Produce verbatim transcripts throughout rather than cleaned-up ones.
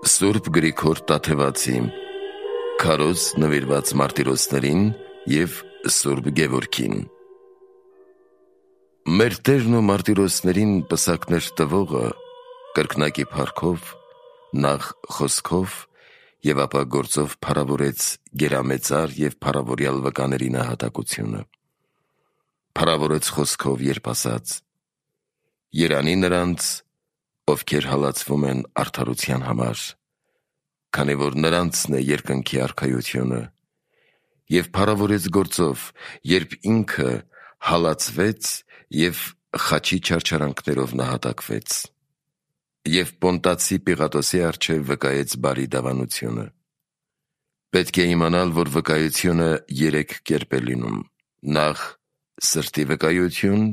Սուրբ Գրիգոր Տաթևացի Քարոզ նվիրված մարտիրոսներին և Սուրբ Գևորգին։ Մեր Տերն ու մարտիրոսներին պսակներ տվողը կրկնակի փառքով, նախ խոսքով և ապա գործով փառավորեց գերամեծար և փառավորյալ վկաների նահատակությունը։ Փառավորեց խոսքով, երբ ասաց. «Երանի նրանց, ովքեր հալածվում են արդարության համար, քանի որ նրանցն է երկնքի արքայությունը, և փառավորեց գործով, երբ ինքը հալածվեց և խաչի չարչարանքներով նահատակվեց, և Պոնտացի Պիղատոսի առջև վկայեց բարի դավանությունը։ Պետք է իմանալ, որ վկայությունը երեք կերպ է լինում. նախ սրտի վկայություն,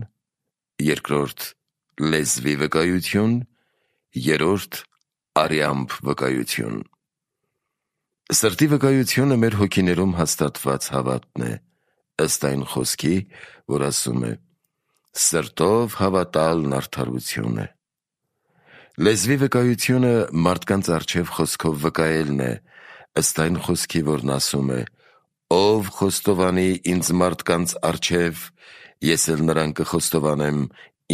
երկրորդ լեզվի վկայություն, երրորդ արյամբ վկայություն։ Սրտի վկայությունը մեր հոգիներում հաստատված հավատն է, ըստ այն խոսքի, որ ասում է. «Սրտով հավատալն արդարություն է»։ Լեզվի վկայությունը մարդկանց առջև խոսքով վկայելն է, ըստ այն խոսքի, որն ասում է. «Ով խոստովանի ինձ մարդկանց առջև, ես էլ նրան կխոստովանեմ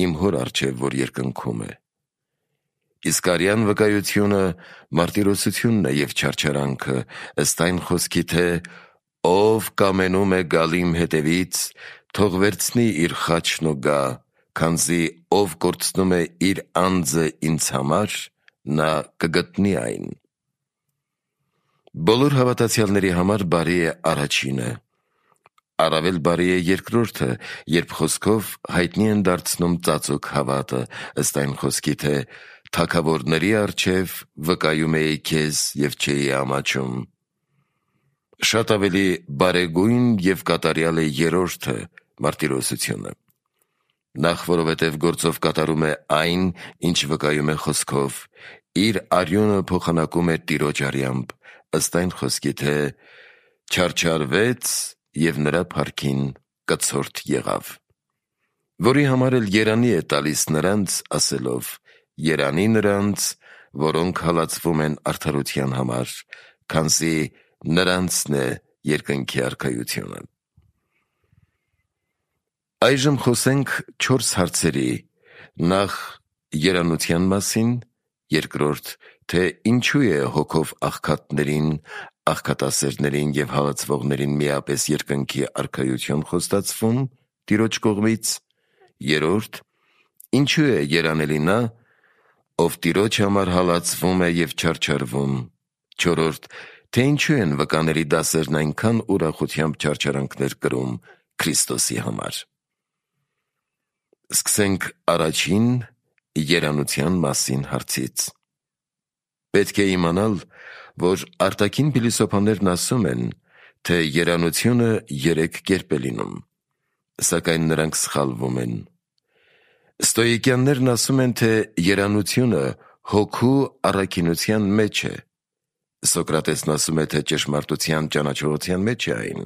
իմ հոր առջև, որ երկնքում է»։ Իսկ արյան վկայությունը մարտիրոսությունն է և չարչարանքը, ըստ այն խոսքի, թե «Ով կամենում է գալ իմ հետևից, թող վերցնի իր խաչն ու գա, քանզի ով կորցնում է իր անձը ինձ համար, նա կգտնի այն»։ Բոլոր հավատացյալների համար բարի է առաջինը, առավել բարի է երկրորդը, երբ խոսքով հայտնի են դարձնում ծածուկ հավատը, ըստ այն խոսքի, թե «Թագավորների առջև վկայում էի քեզ և չէի ամաչում»։ Շատ ավելի բարեգույն և կատարյալ է երրորդը՝ մարտիրոսությունը։ Նախ, որովհետև գործով կատարում է այն, ինչ վկայում է խոսքով, իր արյունը փոխանակում է Տիրոջ արյամբ, ըստ այն խոսքի, թե «չարչարվեց և նրա փառքին կցորդ եղավ», որի համար էլ երանի է տալիս նրանց, ասելով. «Երանի նրանց, որոնք հալածվում են արդարության համար, քանզի նրանցն է երկնքի արքայությունը»։ Այժմ խոսենք չորս հարցերի. նախ երանության մասին, երկրորդ, թե ինչու է հոգով աղքատներին, աղքատասերներին և հալածվողներին միապես երկնքի արքայություն խոստացվում Տիրոջ կողմից, երրորդ, ինչու է երանելի նա, ով Տիրոջ համար հալածվում է և չարչարվում, չորրորդ, թե ինչու են վկաների դասերն այնքան ուրախությամբ չարչարանքներ կրում Քրիստոսի համար։ Սկսենք առաջին երանության մասին հարցից։ Պետք է իմանալ, որ արտաքին փիլիսոփաներն ասում են, թե երանությունը երեք կերպ է լինում, սակայն նրանք սխալվում են։ Ստոիկյաններն ասում են, թե երանությունը հոգու առաքինության մեջ է, Սոկրատեսն ասում է, թե ճշմարտության ճանաչողության մեջ է այն,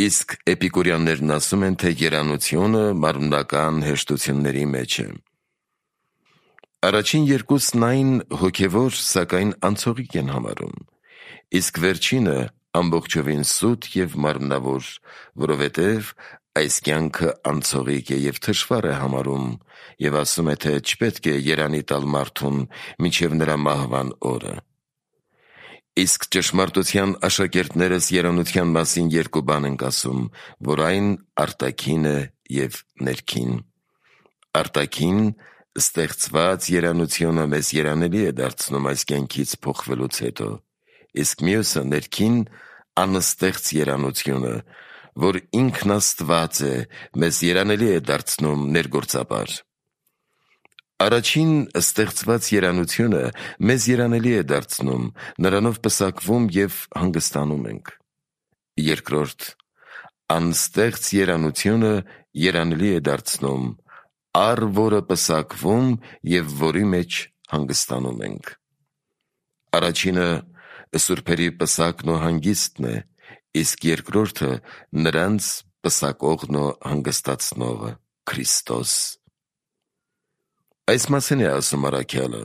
իսկ էպիկուրյաններն ասում են, թե երանությունը մարմնական հեշտությունների մեջ է։ Առաջին երկուսն այն հոգևոր, սակայն անցողիկ են համարում, իսկ վերջինը ամբողջովին սուտ և մարմնավոր, որովհետև այս կյանքը անցողիկ է և թշվառ է համարում և ասում է, թե չպետք է երանի տալ մարդուն մինչև նրա մահվան օրը։ Իսկ ճշմարտության աշակերտներս երանության մասին երկու բան ենք ասում, որ այն արտաքին է և ներքին։ Արտաքին ստեղծված երանությունը մեզ երանելի է դարձնում այս կյանքից փոխվելուց հետո, իսկ մյուսը ներքին անստեղծ երանությունը, որ ինքն Աստված է, մեզ երանելի է դարձնում ներգործաբար։ Առաջին ստեղծված երանությունը մեզ երանելի է դարձնում, նրանով պսակվում և հանգստանում ենք։ Երկրորդ անստեղծ երանությունը երանելի է դարձնում, առ որը պսակվում և որի մեջ հանգստանում ենք։ Առաջինը սուրբերի պսակն ու հանգիստն է, իսկ երկրորդը նրանց պսակողն ու հանգստացնողը՝ Քրիստոս։ Այս մասին է ասում առաքյալը.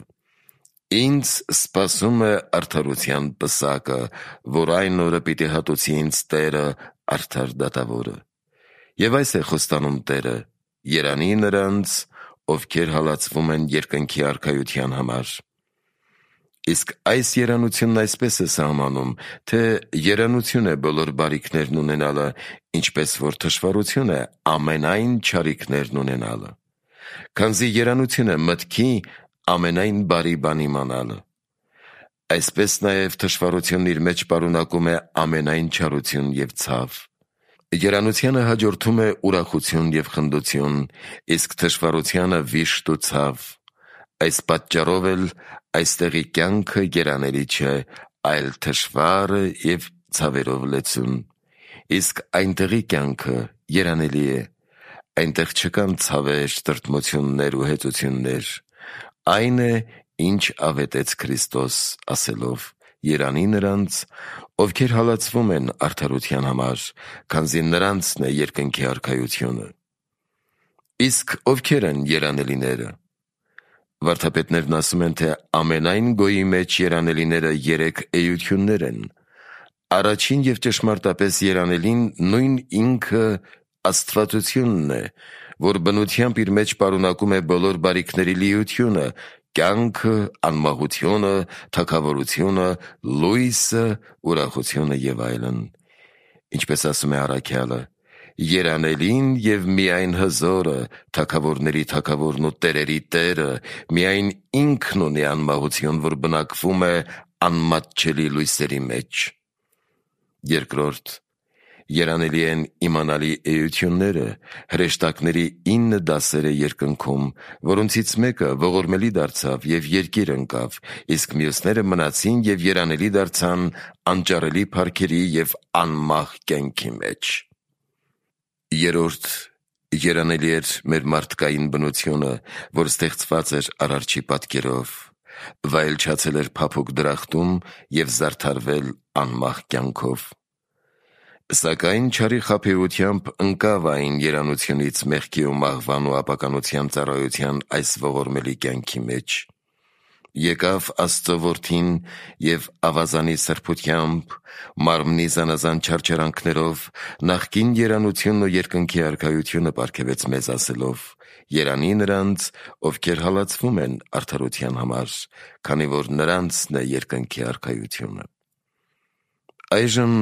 Ինձ սպասում է արդարության պսակը, որ այն օրը պիտի հատուցի ինձ Տերը արդար դատավորը։ Եվ այս է խոստանում Տերը. երանի նրանց, ովքեր հալածվում են երկնքի արքայության համար։ Իսկ այս երանությունն այսպես է սահմանում, թե երանություն է բոլոր բարիքներն ունենալը, ինչպես որ թշվառություն է ամենայն չարիքներն ունենալը։ Քանզի երանություն է մտքի ամենայն բարի բան իմանալը։ Այսպես նաև թշվառությունն իր մեջ պարունակում է ամենայն չարություն և ցավ։ Երանությանը հաջորդում է ուրախություն և խնդություն, իսկ թշվառությանը վիշտ ու ցավ։ Այս պատճառով էլ այստեղի կյանքը երանելի չէ, այլ թշվառ և ցավերով լեցուն, իսկ այնտեղի կյանքը երանելի է։ Այնտեղ չկան ցավեր, տրտմություններ ու հեծություններ։ Այն է, ինչ ավետեց Քրիստոս, ասելով. երանի նրանց, ովքեր հալածվում են արդարության համար, քանզի նրանցն է երկնքի արքայությունը։ Իսկ ովքեր են երանելիները։ Վարդապետներն ասում են, թե ամենայն գոյի մեջ երանելիները երեք էություններ են։ Առաջին և ճշմարտապես երանելին նույն ինքը աստվածությունն է, որ բնությամբ իր մեջ պարունակում է բոլոր բարիքների լիությունը, կյանքը, անմահությունը, թագավորությունը, լույսը, ուրախությունը և այլն։ Ինչպես ասում է առաքյալը. երանելին և միայն հզորը, թագավորների թագավորն ու տերերի Տերը, միայն ինքն ունի անմահություն, որ բնակվում է անմատչելի լույսերի մեջ։ Երկրորդ, երանելի են իմանալի էությունները, հրեշտակների ինը դասերը երկնքում, որոնցից մեկը ողորմելի դարձավ և երկիր ընկավ, իսկ մյուսները մնացին և երանելի դարձան անճարելի փառքերի և անմահ կյանքի մեջ։ Երրորդ, երանելի էր մեր մարդկային բնությունը, որ ստեղծված էր Արարչի պատկերով, վայելչացել էր փափուկ դրախտում և զարդարվել անմահ կյանքով։ Սակայն չարի խաբեությամբ ընկավ այն երանությունից մեղքի ու մահվան ու ապականության ծառայության այս ողորմելի կյանքի մեջ։ Եկավ Աստծո Որդին և ավազանի սրբությամբ, մարմնի զանազան չարչարանքներով, նախկին երանությունն ու երկնքի արքայությունը պարգևեց մեզ, ասելով. երանի նրանց, ովքեր հալածվում են արդարության համար, քանի որ նրանցն է երկնքի արքայությունը։ Այժմ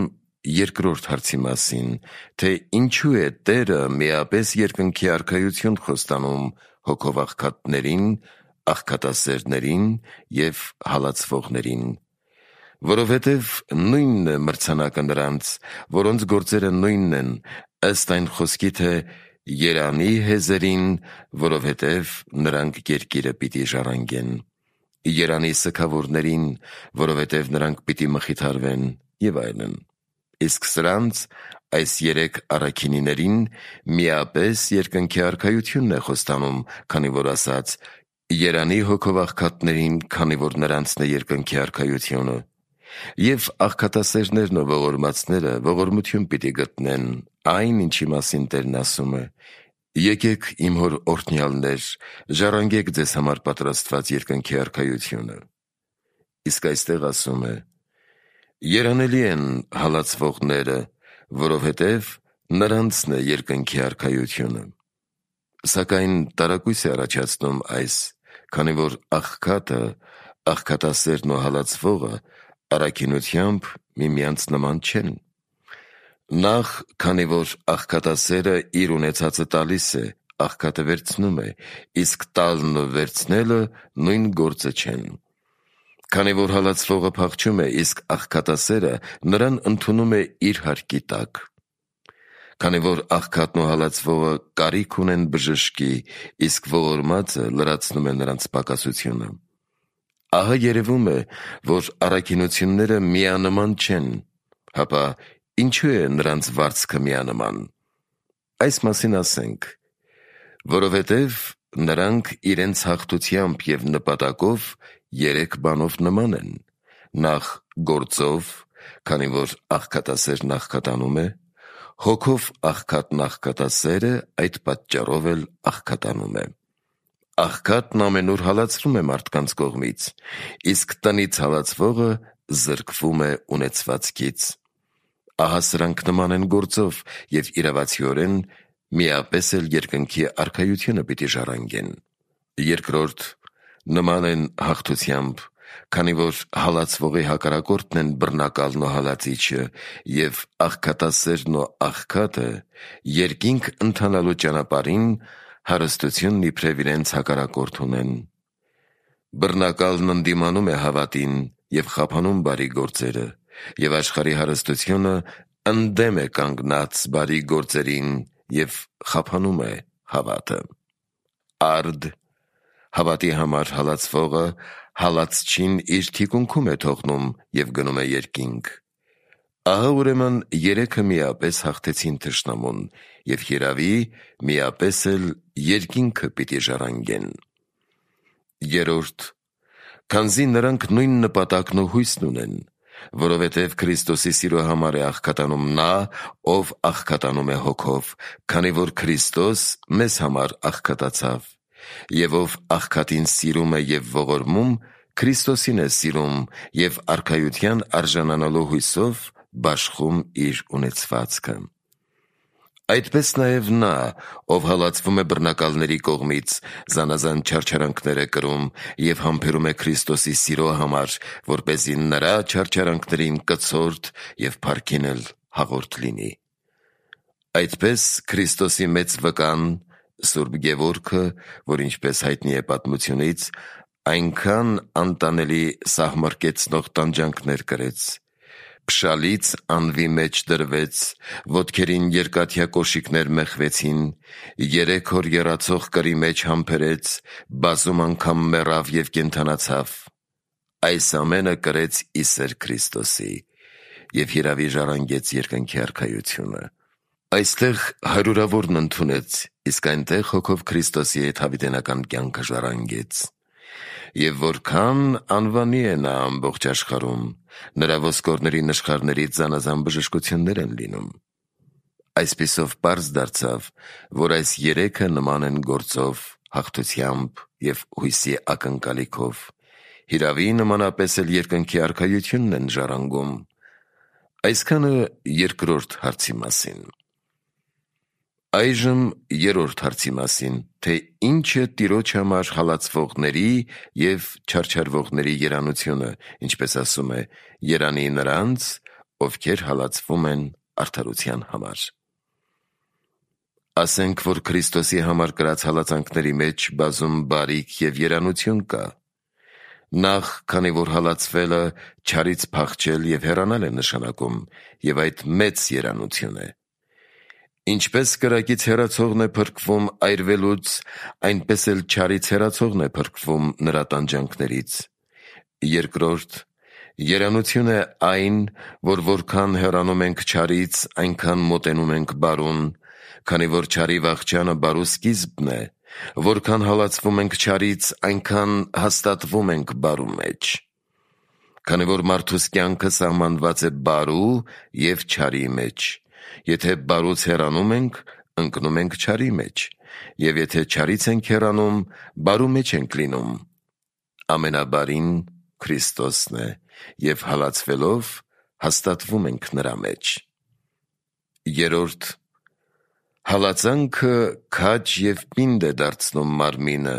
երկրորդ հարցի մասին, թե ինչու է Տերը միապես երկնքի արքայություն խոստանում հոգով աղքատներին, աղքատասերներին և հալածվողներին։ Որովհետև նույնն է մրցանակը նրանց, որոնց գործերը նույնն են, ըստ այն խոսքի, թե երանի հեզերին, որովհետև նրանք երկիրը պիտի ժառանգեն, երանի սգավորներին, որովհետև նրանք պիտի մխիթարվեն և այլն։ Իսկ սրանց, այս երեք առաքինիներին, միապես երկնքի արքայությունն է խոստանում, քանի որ ասաց. երանի հոգով աղքատներին, քանի որ նրանցն է երկնքի արքայությունը։ Եվ աղքատասերներն ու ողորմածները ողորմություն պիտի գտնեն այն, ինչի մասին Տերն ասում է. եկեք իմ հոր օրհնյալներ, ժառանգեք ձեզ համար պատրաստված երկնքի արքայությունը։ Իսկ այստեղ ասում է. երանելի են հալածվողները, որովհետև նրանցն է երկնքի արքայությունը։ Սակայն տարակույս է առաջացնում այս, քանի որ աղքատը, աղքատասերն ու հալածվողը առաքինությամբ միմյանց նման չեն։ Նախ, քանի որ աղքատասերը իր ունեցածը տալիս է, աղքատը վերցնում է, իսկ տալն ու վերցնելը նույն գործը չեն։ Քանի որ հալածվողը փախչում է, իսկ աղքատասերը նրան ընդունում է իր հարկի տակ։ Քանի որ աղքատն ու հալածվողը կարիք ունեն բժշկի, իսկ ողորմածը լրացնում է նրանց պակասությունը։ Ահա երևում է, որ առաքինությունները միանման չեն, հապա ինչու է նրանց վարձքը միանման։ Այս մասին ասենք. որովհետև նրանք իրենց հաղթությամբ և նպատակով երեք բանով նման են. նախ գործով, քանի որ աղքատասերն աղքատանում է, հոգով աղքատն աղքատասերը այդ պատճառով էլ աղքատանում է։ աղքատն ամենուր հալածվում է մարդկանց կողմից, իսկ տնից հալածվողը զրկվում է ունեցվածքից։ Ահա սրանք նման են գործով և իրավացիորեն միապես էլ երկնքի արքայությունը պիտի ժառանգեն։ Երկրորդ, նման են հաղթությամբ, քանի որ հալածվողի հակառակորդն են բռնակալն ու հալածիչը, և աղքատասերն ու աղքատը երկինք ընթանալու ճանապարհին հարստությունն իբրև իրենց հակառակորդ ունեն։ Բռնակալն ընդդիմանում է հավատին և խափանում բարի գործերը, և աշխարհի հարստությունը ընդդեմ է կանգնած բարի գործերին և խափանում է հավատը։ Արդ, հավատի համար հալածվողը հալածչին իր թիկունքում է թողնում և գնում է երկինք։ Ահա ուրեմն երեքը միապես հաղթեցին թշնամուն և հիրավի միապես էլ երկինքը պիտի ժառանգեն։ Երրորդ, քանզի նրանք նույն նպատակն ու հույսն ունեն, որովհետև Քրիստոսի սիրո համար է աղքատանում նա, ով աղքատանում է հոգով, քանի որ Քրիստոս մեզ համար աղքատացավ, և ով աղքատին սիրում է և ողորմում, Քրիստոսին է սիրում և արքայության արժանանալու հույսով բաշխում իր ունեցվածքը։ Այդպես նաև նա, ով հալածվում է բռնակալների կողմից, զանազան չարչարանքներ է կրում և համբերում է Քրիստոսի սիրո համար, որպեսզի նրա չարչարանքներին կցորդ և փառքին էլ հաղորդ լինի։ Այդպես Քրիստոսի մեծ վկան Սուրբ Գևորգը, որ ինչպես հայտնի է պատմությունից, այնքան անտանելի սահմռկեցնող տանջանքներ կրեց, փշալից անվի մեջ դրվեց, ոտքերին երկաթյա կոշիկներ մեխվեցին, երեք օր եռացող կրի մեջ համբերեց, բազում անգամ մեռավ և կենդանացավ։ Այս ամենը կրեց ի սեր Քրիստոսի և հիրավի ժառանգեց երկնքի արքայությունը։ Այստեղ հարյուրավորն ընդունեց, իսկ այնտեղ հոգով Քրիստոսի հետ հավիտենական կյանքը ժառանգեց։ Եվ որքան անվանի է նա ամբողջ աշխարհում, նրա ոսկորների նշխարներից զանազան բժշկություններ են լինում։ Այսպիսով պարզ դարձավ, որ այս երեքը նման են գործով, հաղթությամբ և հույսի ակնկալիքով, հիրավի նմանապես էլ երկնքի արքայությունն են ժառանգում։ Այսքանը երկրորդ հարցի մասին։ Այժմ երրորդ հարցի մասին, թե ինչ է Տիրոջ համար հալածվողների և չարչարվողների երանությունը, ինչպես ասում է, երանի նրանց, ովքեր հալածվում են արդարության համար։ Ասենք, որ Քրիստոսի համար կրած հալածանքների մեջ բազում բարիք և երանություն կա։ Նախ, քանի որ հալածվելը չարից փախչել և հեռանալ է նշանակում, և այդ մեծ երանություն է։ Ինչպես կրակից հեռացողն է փրկվում այրվելուց, այնպես էլ չարից հեռացողն է փրկվում նրա տանջանքներից։ Երկրորդ, երանություն է այն, որ որքան հեռանում ենք չարից, այնքան մոտենում ենք բարուն, քանի որ չարի վախճանը բարու սկիզբն է, որքան հալածվում ենք չարից, այնքան հաստատվում ենք բարու մեջ։ Քանի որ մարդուս կյանքը սահմանված է բարու և չարի մեջ, եթե բարուց հեռանում ենք, ընկնում ենք չարի մեջ, և եթե չարից ենք հեռանում, բարու մեջ ենք լինում։ Ամենաբարին Քրիստոսն է, և հալածվելով հաստատվում ենք նրա մեջ։ Երրորդ, հալածանքը քաջ և պինդ է դարձնում մարմինը,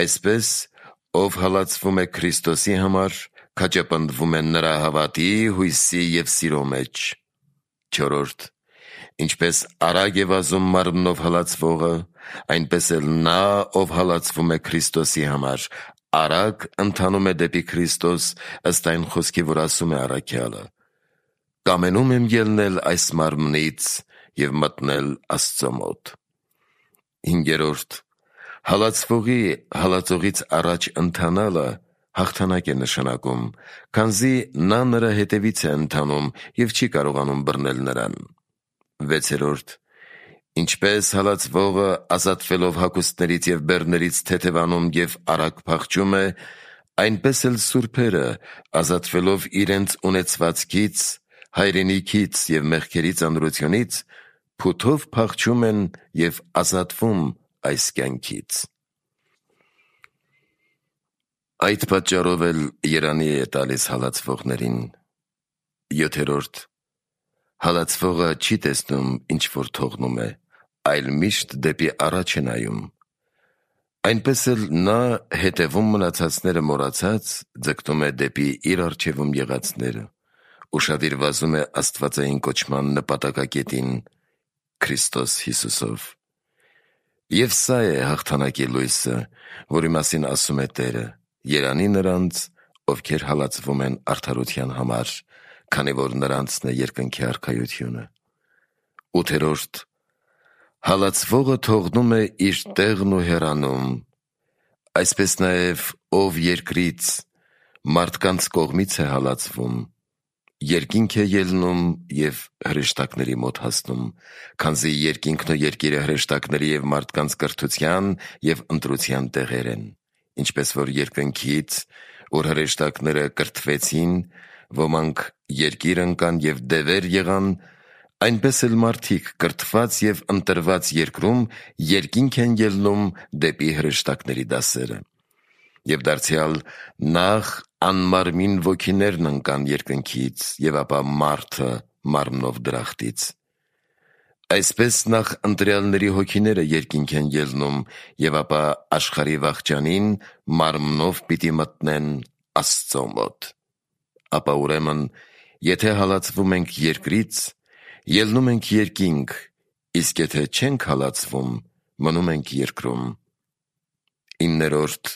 այսպես, ով հալածվում է Քրիստոսի համար, քաջապնդվում է նրա հավատի, հույսի և սիրո մեջ։ Չորրորդ, ինչպես արագ է վազում մարմնով հալածվողը, այնպես էլ նա, ով հալածվում է Քրիստոսի համար, արագ ընթանում է դեպի Քրիստոս, ըստ այն խոսքի, որ ասում է առաքյալը. «Կամենում եմ ելնել այս մարմնից և մտնել Աստծո մոտ»։ Հինգերորդ, հալածվողի հալածողից առաջ ընթանալը հաղթանակ է նշանակում, քանզի նա նրա հետևից է ընթանում և չի կարողանում բռնել նրան։ Վեցերորդ, ինչպես հալածվողը ազատվելով հագուստներից և բեռներից թեթևանում և արագ փախչում է, այնպես էլ սուրբերը, ազատվելով իրենց ունեցվածքից, հայրենիքից և մեղքերի ծանրությունից, փութով փախչում են և ազատվում այս կյանքից։ Այդ պատճառով էլ երանի է տալիս հալածվողներին։ Յոթերորդ. Հալածվողը չի տեսնում, ինչ որ թողնում է, այլ միշտ դեպի առաջ է նայում։ Այնպես էլ նա հետևում մնացածները մոռացած ձգտում է դեպի իր առջևում եղածները, ուշադիր վազում է աստվածային կոչման նպատակակետին Քրիստոս Հիսուսով։ Եվ սա է հաղթանակի լույսը, որի մասին ասում է Տերը. երանի նրանց, ովքեր հալածվում են արդարության համար, քանի որ նրանցն է երկնքի արքայությունը։ Ութերորդ. Հալածվողը թողնում է իր տեղն ու հեռանում, այսպես նաև ով երկրից մարդկանց կողմից է հալածվում, երկինք է ելնում և հրեշտակների մոտ հասնում, քանզի երկինքն ու երկիրը հրեշտակների և մարդկանց կրթության և ընտրության տեղեր են, ինչպես որ երկնքից, որ հրեշտակները կրթվեցին, ոմանք երկիր ընկան և դևեր եղան, այնպես էլ մարդիկ կրթված և ընտրված երկրում երկինք են ելնում դեպի հրեշտակների դասերը։ Եվ դարձյալ նախ անմարմին ոգիներն ընկան երկնքից, և ապա մարդը մարմնով դրախտից։ Այսպես նախ ընտրյալների հոգիները երկինք են ելնում, և ապա աշխարհի վախճանին մարմնով պիտի մտնեն Աստծո մոտ։ Ապա ուրեմն, եթե հալածվում ենք երկրից, ելնում ենք երկինք, իսկ եթե չենք հալածվում, մնում ենք երկրում։ Իններորդ.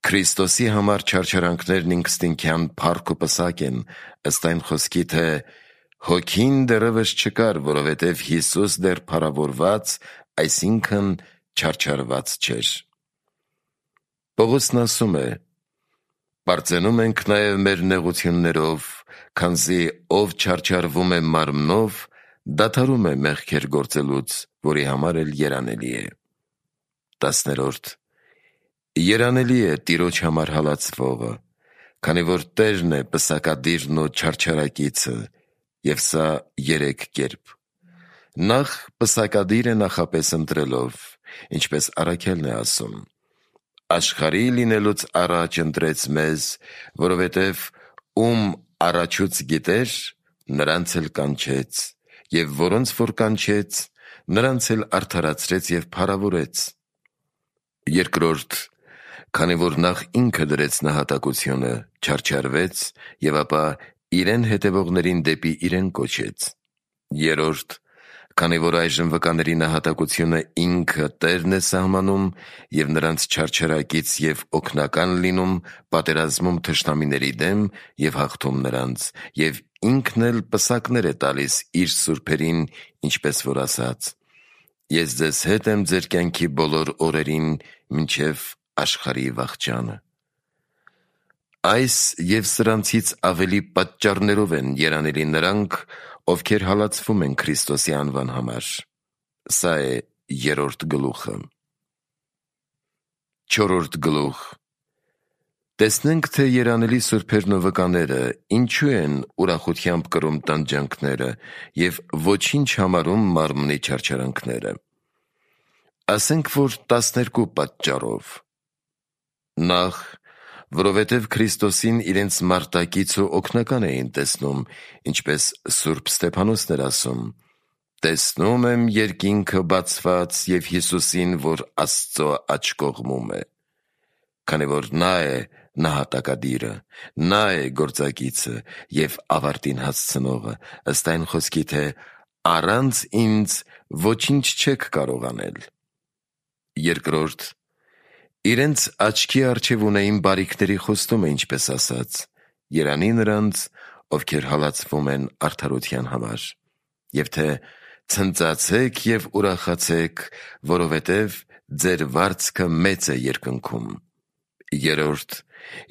Քրիստոսի համար չարչարանքներն ինքնըստինքյան փառք ու պսակ են, ըստ այն խոսքի, թե հոգին դեռևս չկար, որովհետև Հիսուս դեռ փառավորված, այսինքն չարչարված չէր։ Պողոսն ասում է. պարծենում ենք նաև մեր նեղություններով, քանզի ով չարչարվում է մարմնով, դադարում է մեղքեր գործելուց, որի համար էլ երանելի է։ Տասներորդ. Երանելի է Տիրոջ համար հալածվողը, քանի որ Տերն է պսակադիրն ու չարչարակիցը, և սա երեք կերպ. Նախ պսակադիր է նախապես ընտրելով, ինչպես Առաքյալն է ասում. աշխարհի լինելուց առաջ ընտրեց մեզ, որովհետև ում առաջուց գիտեր, նրանց էլ կանչեց, և որոնց որ կանչեց, նրանց էլ արդարացրեց և փառավորեց։ Երկրորդ. Քանի որ նախ ինքը դրեց նահատակությունը, չարչարվեց, և ապա իրեն հետևողներին դեպի իրեն կոչեց։ Երրորդ. Քանի որ այժմ վկաների նահատակությունը ինքը Տերն է սահմանում և նրանց չարչարակից և օգնական լինում պատերազմում թշնամիների դեմ և հաղթում նրանց, և ինքն էլ պսակներ է տալիս իր սուրբերին, ինչպես որ ասաց. «Ես ձեզ հետ եմ ձեր կյանքի բոլոր օրերին, մինչև աշխարհի վախճանը»։ Այս և սրանցից ավելի պատճառներով են երանելի նրանք, ովքեր հալածվում են Քրիստոսի անվան համար։ Սա է երրորդ գլուխը։ Չորրորդ գլուխ. Տեսնենք, թե երանելի սուրբերն ու վկաները ինչու են ուրախությամբ կրում տանջանքները և ոչինչ համարում մարմնի չարչարանքները։ Ասենք, որ տասներկու պատճառով։ Նախ, որովհետև Քրիստոսին իրենց մարտակից ու օգնական էին տեսնում, ինչպես Սուրբ Ստեփանոսն էր ասում. «Տեսնում եմ երկինքը բացված և Հիսուսին, որ Աստծո աջ կողմում է»։ Քանի որ նա է նահատակադիրը, նա է գործակիցը և ավարտին հասցնողը, ըստ այն խոսքի, թե առանց ինձ ոչինչ չեք կարող անել։ Երկրորդ. իրենց աչքի առջև ունեին բարիքների խոստումը, ինչպես ասաց. երանի նրանց, ովքեր հալածվում են արդարության համար, և թե ցնծացեք և ուրախացեք, որովհետև ձեր վարձքը մեծ է երկնքում։ Երրորդ.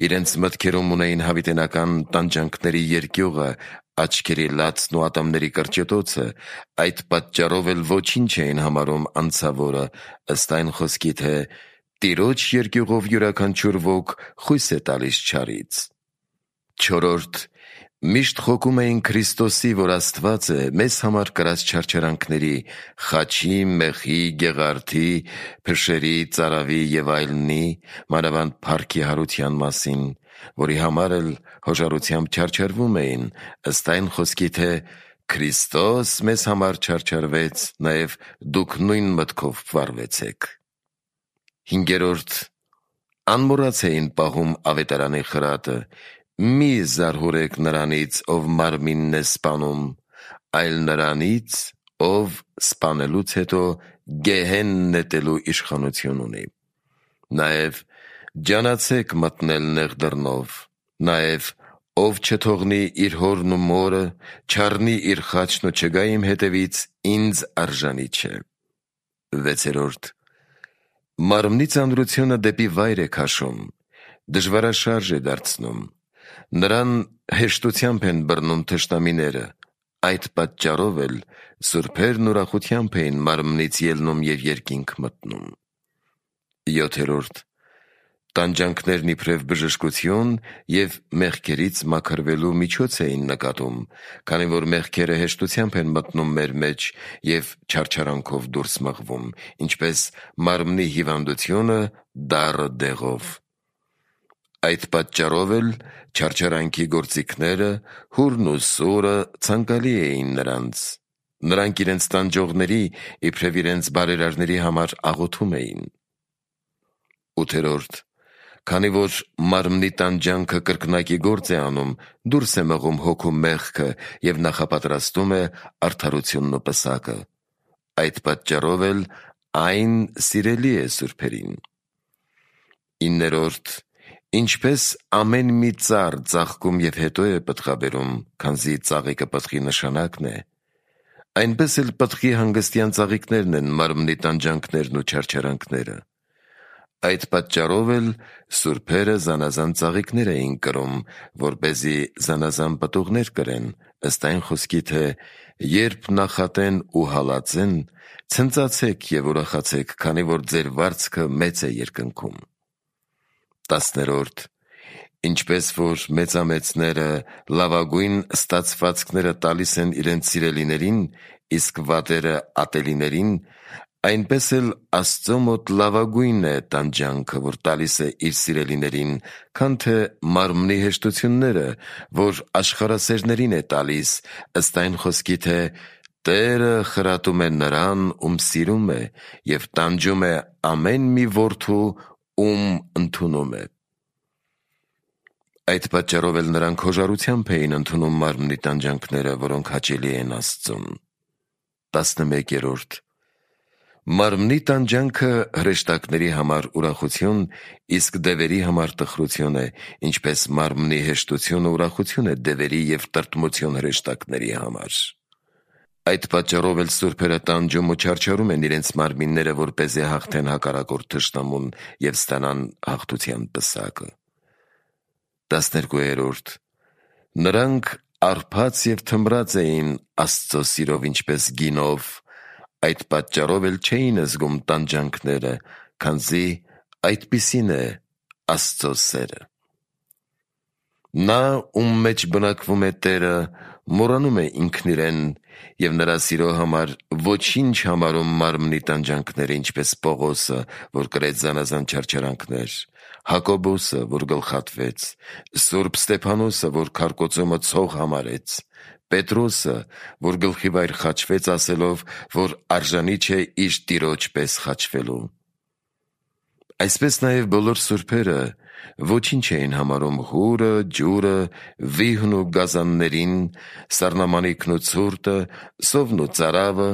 իրենց մտքերում ունեին հավիտենական տանջանքների երկյուղը, աչքերի լացն ու ատամների կրճտոցը, այդ պատճառով էլ ոչինչ էին համարում անցավորը, ըստ այն խոսքի, թե Տիրոջ երկյուղով յուրաքանչյուր ոք խույս է տալիս չարից։ Չորրորդ. Միշտ խոկում էին Քրիստոսի, որ Աստված է, մեզ համար կրած չարչարանքների, խաչի, մեխի, գեղարդի, փշերի, ծարավի և այլնի, մանավանդ փառքի հարության մասին, որի համար էլ հոժարությամբ չարչարվում էին, ըստ այն խոսքի, թե Քրիստոս մեզ համար չարչարվեց, նաև դուք նույն մտքով վարվեցեք։ Հինգերորդ. անմոռաց էին պահում ավետարանի խրատը, մի զարհուրեք նրանից, ով մարմինն է սպանում, այլ նրանից, ով սպանելուց հետո գեհեն նետելու իշխանություն ունի։ Նաև ջանացեք մտնել նեղ դռնով, նաև ով չթողնի իր հորն ու մորը, չառնի իր խաչն ու չգա իմ հետևից, ինձ արժանի չէ։ Վեցերորդ. մարմնի ծանրությունը դեպի վայր է քաշում, դժվարաշարժ է դարձնում, նրան հեշտությամբ են բռնում թշնամիները, այդ պատճառով էլ սուրբերն ուրախությամբ էին մարմնից ելնում և երկինք մտնում։ Յոթերորդ. տանջանքներն իբրև բժշկություն և մեղքերից մաքրվելու միջոց էին նկատում, քանի որ մեղքերը հեշտությամբ են մտնում մեր մեջ և չարչարանքով դուրս մղվում, ինչպես մարմնի հիվանդությունը դառը դեղով։ Այդ պատճառով էլ չարչարանքի գործիքները, հուրն ու սուրը ցանկալի էին նրանց, նրանք իրենց տանջողների, իբրև իրենց բարերարների համար աղոթում էին։ Ութերորդ. քանի որ մարմնի տանջանքը կրկնակի գործ է անում, դուրս է մղում հոգու մեղքը և նախապատրաստում է արդարությունն ու պսակը, այդ պատճառով էլ այն սիրելի է սուրբերին։ Իններորդ. ինչպես ամեն մի ծառ ծաղկում և հետո է պտղաբերում, քանզի ծաղիկը պտղի նշանակն է, այնպես էլ պտղի հանգստյան ծաղիկներն են մարմնի տանջանքներն ու չարչարանքները։ Այդ պատճառով էլ սուրբերը զանազան ծաղիկներ էին կրում, որպեսզի զանազան պտուղներ կրեն, ըստ այն խոսքի, թե երբ նախատեն ու հալածեն, ցնծացեք և ուրախացեք, քանի որ ձեր վարձքը մեծ է երկնքում։ Տասներորդ. ինչպես որ մեծամեծները լավագույն ստացվածքները տալիս են իրենց սիրելիներին, իսկ վատերը ատելիներին, այնպես էլ Աստծո մոտ լավագույն է տանջանքը, որ տալիս է իր սիրելիներին, քան թե մարմնի հեշտությունները, որ աշխարհասերներին է տալիս, ըստ այն խոսքի, թե Տերը խրատում է նրան, ում սիրում է, և տանջում է ամեն մի որդու, ում ընդունում է։ Այդ պատճառով էլ նրանք հոժարությամբ էին ընդունում մարմնի տանջանքները, որոնք հաճելի են Աստծուն։ Տասնմեկերորդ. մարմնի տանջանքը հրեշտակների համար ուրախություն, իսկ դևերի համար տխրություն է, ինչպես մարմնի հեշտությունը ուրախություն է դևերի և տրտմություն հրեշտակների համար։ Այդ պատճառով էլ սուրբերը տանջում ու չարչարում են իրենց մարմինները, որպեսզի հաղթեն հակառակորդ թշնամուն և ստանան հաղթության պսակը։ Տասներկուերորդ. նրանք արբած և թմրած էին Աստծո սիրով ինչպես գինով, այդ պատճառով էլ չէին զգում տանջանքները, քանզի այդպիսին է Աստծո սերը։ Նա, ում մեջ բնակվում է Տերը, մոռանում է ինքն իրեն և նրա սիրո համար ոչինչ համարում մարմնի տանջանքները, ինչպես Պողոսը, որ կրեց զանազան չարչարանքներ, Հակոբոսը, որ գլխատվեց, Սուրբ Ստեփանոսը, որ քարկոծումը ցող համարեց, Պետրոսը, որ գլխի վայր խաչվեց, ասելով, որ արժանի չէ իր տիրոջ պես խաչվելու։ Այսպես նաև բոլոր սուրբերը ոչինչ էին համարում հուրը, ջուրը, վիհն ու գազաններին, սառնամանիքն ու ցուրտը, սովն ու ծարավը,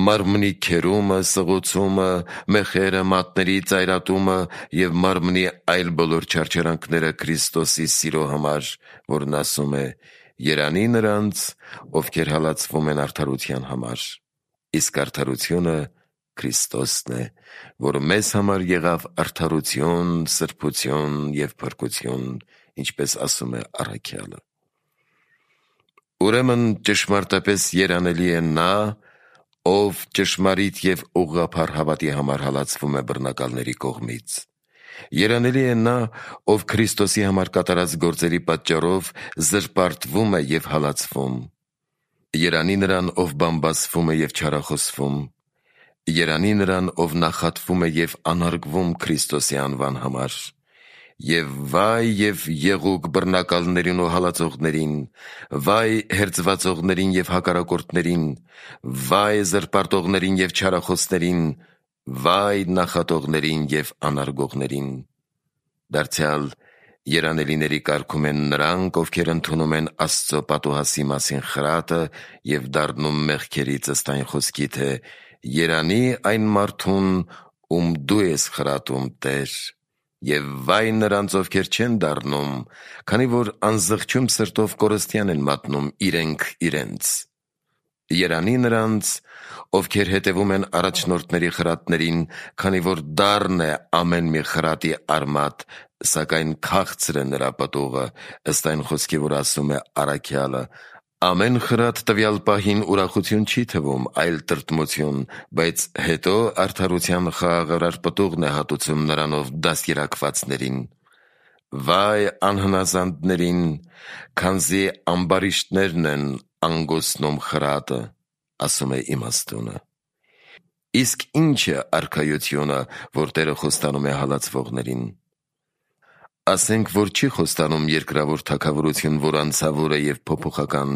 մարմնի քերումը, սղոցումը, մեխերը, մատների ծայրատումը և մարմնի այլ բոլոր չարչարանքները Քրիստոսի սիրո համար, որն ասում է. «Երանի նրանց, ովքեր հալածվում են արդարության համար», իսկ արդարությունը Քրիստոսն է, որ մեզ համար եղավ արդարություն, սրբություն և փրկություն, ինչպես ասում է առաքյալը։ Ուրեմն ճշմարտապես երանելի է նա, ով ճշմարիտ և ուղղափառ հավատի համար հալածվում է բռնակալների կողմից, Երանելի է նա, ով Քրիստոսի համար կատարած գործերի պատճառով զրպարտվում է և հալածվում։ Երանի նրան, ով բամբասվում է և չարախոսվում։ Երանի նրան, ով նախատվում է և անարգվում Քրիստոսի անվան համար։ Եվ վայ և եղուկ բռնակալներին ու հալածողներին, վայ հերձվածողներին և հակառակորդներին, վայ զրպարտողներին և չարախոսներին, վայ նախատողներին և անարգողներին։ Դարձյալ երանելիների կարգում են նրանք, ովքեր ընդունում են Աստծո պատուհասի մասին խրատը և դառնում մեղքերից ըստ այն խոսքի, թե «Երանի այն մարդուն, ում դու ես խրատում, Տեր», և վայ նրանց, ովքեր չեն դառնում, քանի որ անզղջում սրտով կորստյան են մատնում իրենք իրենց։ Երանի նրանց, ովքեր հետևում են առաջնորդների խրատներին, քանի որ դառն է ամեն մի խրատի արմատ, սակայն քաղցր է նրա պտուղը, ըստ այն խոսքի, որ ասում է առաքյալը. «Ամեն խրատ տվյալ պահին ուրախություն չի թվում, այլ տրտմություն, բայց հետո արդարության խաղաղարար պտուղն է հատուցում նրանով դաստիարակվածներին»։ Վայ անհնազանդներին, քանզի ամբարիշտներն են անգոսնում խրատը, ասում է իմաստունը։ Իսկ ի՞նչ է արքայությունը, որ Տերը խոստանում է հալածվողներին։ Ասենք, որ չի խոստանում երկրավոր թագավորություն, որ անձավոր է և փոփոխական,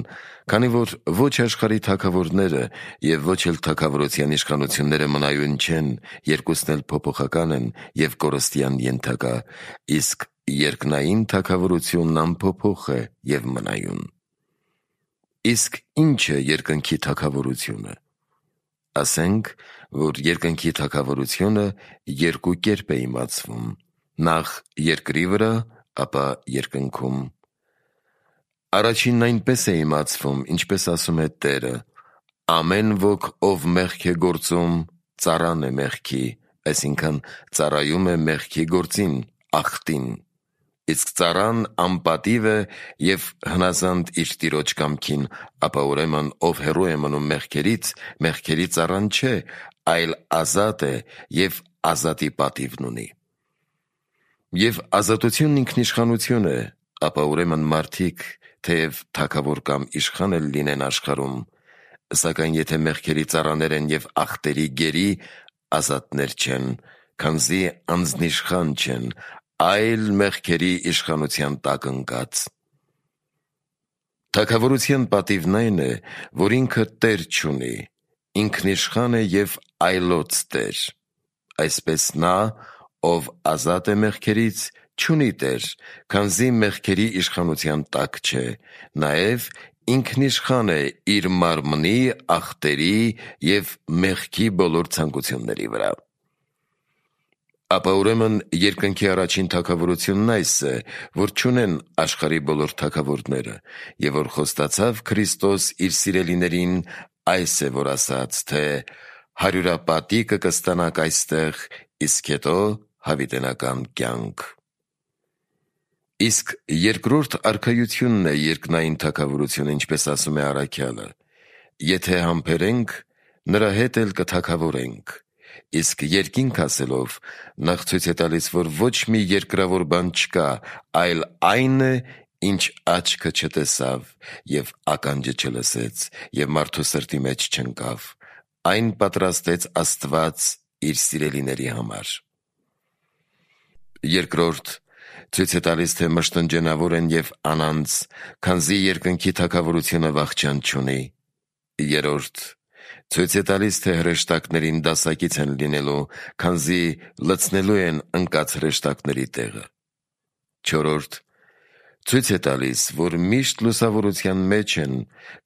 քանի որ ոչ աշխարհի թագավորները և ոչ էլ թագավորության իշխանությունները մնայուն չեն, երկուսն էլ փոփոխական են և կորստյան ենթակա, իսկ երկնային թագավորությունն անփոփոխ է և մնայուն։ Իսկ ի՞նչ է երկնքի թագավորությունը։ Ասենք, որ երկնքի թագավորությունը երկու կերպ է իմացվում. նախ երկրի վրա, ապա երկնքում։ Առաջինն այնպես է իմացվում, ինչպես ասում է Տերը. «Ամեն ոք, ով մեղք է գործում, ծառան է մեղքի», այսինքն ծառայում է մեղքի գործին, ախտին։ Իսկ ծառան անպատիվ է և հնազանդ իր տիրոջ կամքին, ապա ուրեմն ով հեռու է մնում մեղքերից, մեղքերի ծառան չէ, այլ ազատ է և ազատի պատիվն ունի։ Եվ ազատությունն ինքնիշխանություն է, ապա ուրեմն մարդիկ, թեև թագավոր կամ իշխան էլ լինեն աշխարհում, սակայն եթե մեղքերի ծառաներ են և ախտերի գերի, ազատներ չեն, քանզի անձնիշխան չեն, այլ մեղքերի իշխանության տակ ընկած։ Թագավորության պատիվն այն է, որ ինքը տեր չունի, ինքնիշխան է և այլոց տեր։ Այսպես նա, ով ազատ է մեղքերից, չունի տեր, քանզի մեղքերի իշխանության տակ չէ, նաև ինքնիշխան է իր մարմնի, ախտերի և մեղքի բոլոր ցանկությունների վրա։ Ապա ուրեմն երկնքի առաջին թագավորությունն այս է, որ չունեն աշխարհի բոլոր թագավորները, և որ խոստացավ Քրիստոս իր սիրելիներին, այս է, որ ասաց, թե հարյուրապատիկը կստանաք այստեղ, իսկ հետո հավիտենական կյանք։ Իսկ երկրորդ արքայությունն է երկնային թագավորությունը, ինչպես ասում է առաքյալը. «Եթե համբերենք, նրա հետ էլ կթագավորենք»։ Իսկ երկինք ասելով, նախ ցույց է տալիս, որ ոչ մի երկրավոր բան չկա, այլ այն է, ինչ աչքը չտեսավ և ականջը չլսեց և մարդու սրտի մեջ չընկավ, այն պատրաստեց Աստված իր սիրելիների համար։ Երկրորդ, ցույց է տալիս, թե մշտնջենավոր են և անանց, քանզի երկնքի թագավորությունը վախճան չունի։ Երրորդ, ցույց է տալիս, թե հրեշտակներին դասակից են լինելու, քանզի լցնելու են ընկած հրեշտակների տեղը։ Չորրորդ, ցույց է տալիս, որ միշտ լուսավորության մեջ են,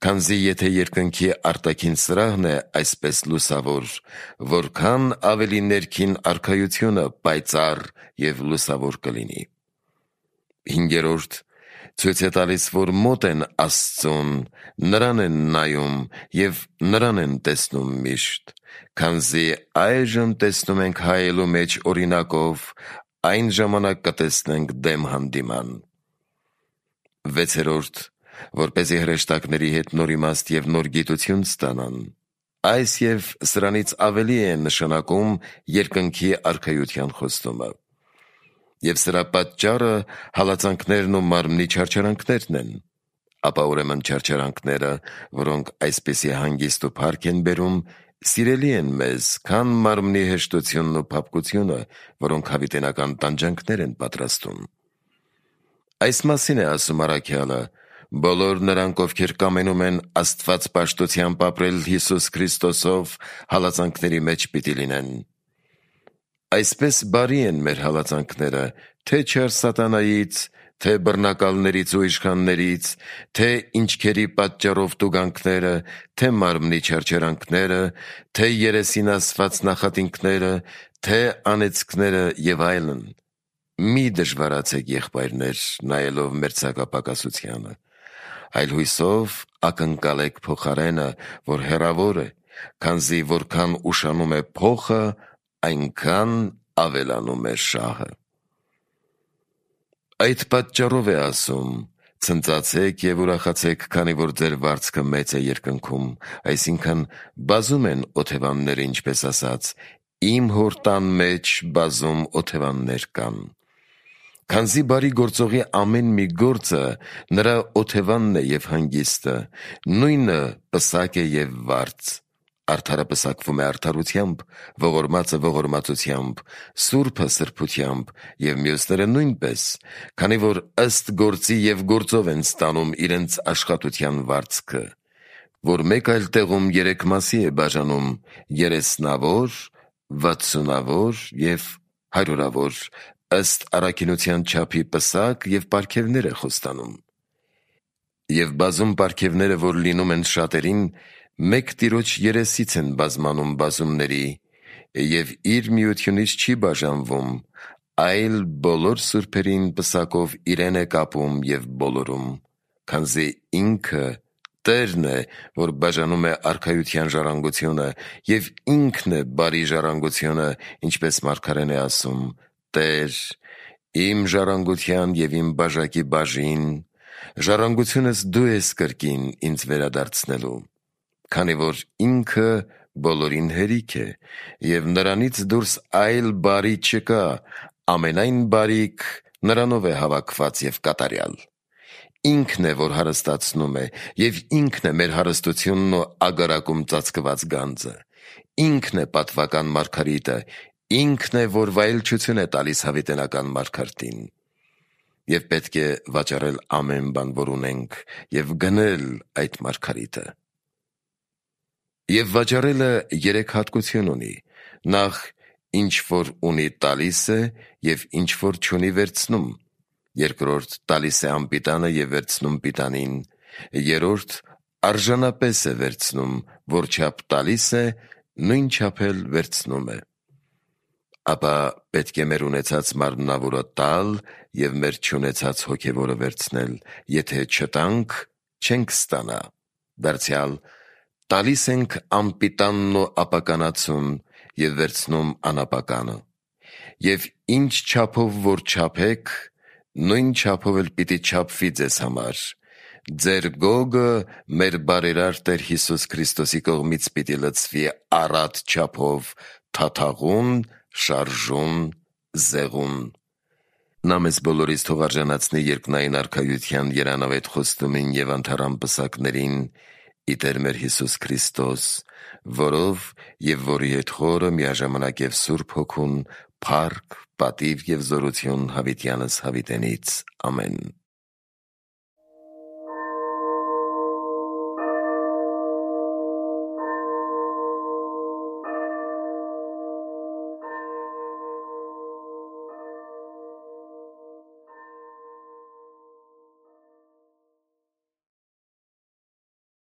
քանզի եթե երկնքի արտաքին սրահն է այսպես լուսավոր, որքան ավելի ներքին արքայությունը պայծառ և լուսավոր կլինի։ Հինգերորդ, ցույց է տալիս, որ մոտ են Աստծուն, նրան են նայում և նրան են տեսնում միշտ, քանզի այժմ տեսնում ենք հայելու մեջ օրինակով, այն ժամանակ կտեսնենք դեմ հանդիման։ Վեցերորդ, որպեսզի հրեշտակների հետ նոր իմաստ և նոր գիտություն ստանան։ Այս և սրանից ավելի է նշանակում երկնքի արքայության խոստումը։ Եվ սրա պատճառը հալածանքներն ու մարմնի չարչարանքներն են, ապա ուրեմն չարչարանքները, որոնք այսպիսի հանգիստ ու փառք են բերում, սիրելի են մեզ, քան մարմնի հեշտությունն ու փափկությունը, որոնք հավիտենական տանջանքներ են պատրաստում։ Այս մասին է ասում առաքյալը. բոլոր նրանք, ովքեր կամենում են Աստված պաշտությամբ ապրել Հիսուս Քրիստոսով, հալածանքների մեջ պիտի լինեն։ Այսպես բարի են մեր հալածանքները, թե չար սատանայից, թե բռնակալներից ու իշխաններից, թե ինչքերի պատճառով տուգանքները, թե մարմնի չարչարանքները, թե երեսին ասված նախատինքները, թե անեծքները և այլն։ Մի դժվարացեք, եղբայրներ, նայելով մեր ցանկապակասությանը, այլ հույսով ակնկալեք փոխարենը, որ հեռավոր է, քանզի որքան ուշանում է փոխը, այնքան ավելանում է շահը։ Այդ պատճառով է ասում. ցնծացեք և ուրախացեք, քանի որ ձեր վարձքը մեծ է երկնքում, այսինքն բազում են օթևանները, ինչպես ասած, իմ հոր տան մեջ բազում օթևաններ կան։ Քանզի բարի գործողի ամեն մի գործը նրա օթևանն է և հանգիստը, նույնը պսակ է և վարձ։ Արդարը պսակվում է արդարությամբ, ողորմածը ողորմածությամբ, սուրբը սրբությամբ և մյուսները նույնպես, քանի որ ըստ գործի և գործով են ստանում իրենց աշխատության վարձքը, որ մեկ այլ տեղում երեք մասի է բաժանում՝ երեսնավոր, վաթսունավոր և հարյուրավոր, ըստ առաքինության չափի պսակ և պարգևներ է խոստանում։ Եվ բազում պարգևները, որ լինում են շատերին, մեկ Տիրոջ երեսից են բազմանում բազումների, և իր միությունից չի բաժանվում, այլ բոլոր սուրբերին պսակով իրեն է կապում և բոլորում, քանզի ինքը Տերն է, որ բաժանում է արքայության ժառանգությունը, և ինքն է բարի ժառանգությունը, ինչպես մարգարեն է ասում. «Տեր, իմ ժառանգության և իմ բաժակի բաժին, ժառանգությունս դու ես կրկին ինձ վերադարձնելու», քանի որ ինքը բոլորին հերիք է, և նրանից դուրս այլ բարի չկա, ամենայն բարիք նրանով է հավաքված և կատարյալ։ Ինքն է, որ հարստացնում է, և ինքն է մեր հարստությունն ու ագարակում ծածկված գանձը։ Ինքն է պատվական մարգարիտը, ինքն է, որ վայելչություն է տալիս հավիտենական մարգարտին։ Եվ պետք է վաճառել ամեն բան, որ ունենք, և գնել այդ մարգարիտը։ Եվ վաճառելը երեք հատկություն ունի. նախ, ինչ որ ունի տալիս է, և ինչ որ չունի վերցնում. երկրորդ, տալիս է անպիտանը և վերցնում պիտանին. երրորդ, արժանապես է վերցնում, որչափ տալիս է, նույն չափ էլ վերցնում է։ Ապա պետք է մեր ունեցած մարմնավորը տալ և մեր չունեցած հոգևորը վերցնել, եթե չտանք, չենք ստանա։ Դարձյալ տալիս ենք անպիտանն ու ապականացուն և վերցնում անապականը։ Եվ ինչ չափով որ չափեք, նույն չափով էլ պիտի չափվի ձեզ համար։ Ձեր գոգը մեր բարերար Տեր Հիսուս Քրիստոսի կողմից պիտի լցվի առատ չափով, թաթաղուն, շարժուն, զեղուն։ Նա մեզ բոլորիս թող արժանացնի երկնային արքայության երանավետ խոստումին և անթառամ պսակներին, ի Տեր մեր Հիսուս Քրիստոս, որով և որի հետ խորը միաժամանակ և Սուրբ Հոգուն, փառք, պատիվ և զորություն հավիտյանս հավիտենից։ Ամեն։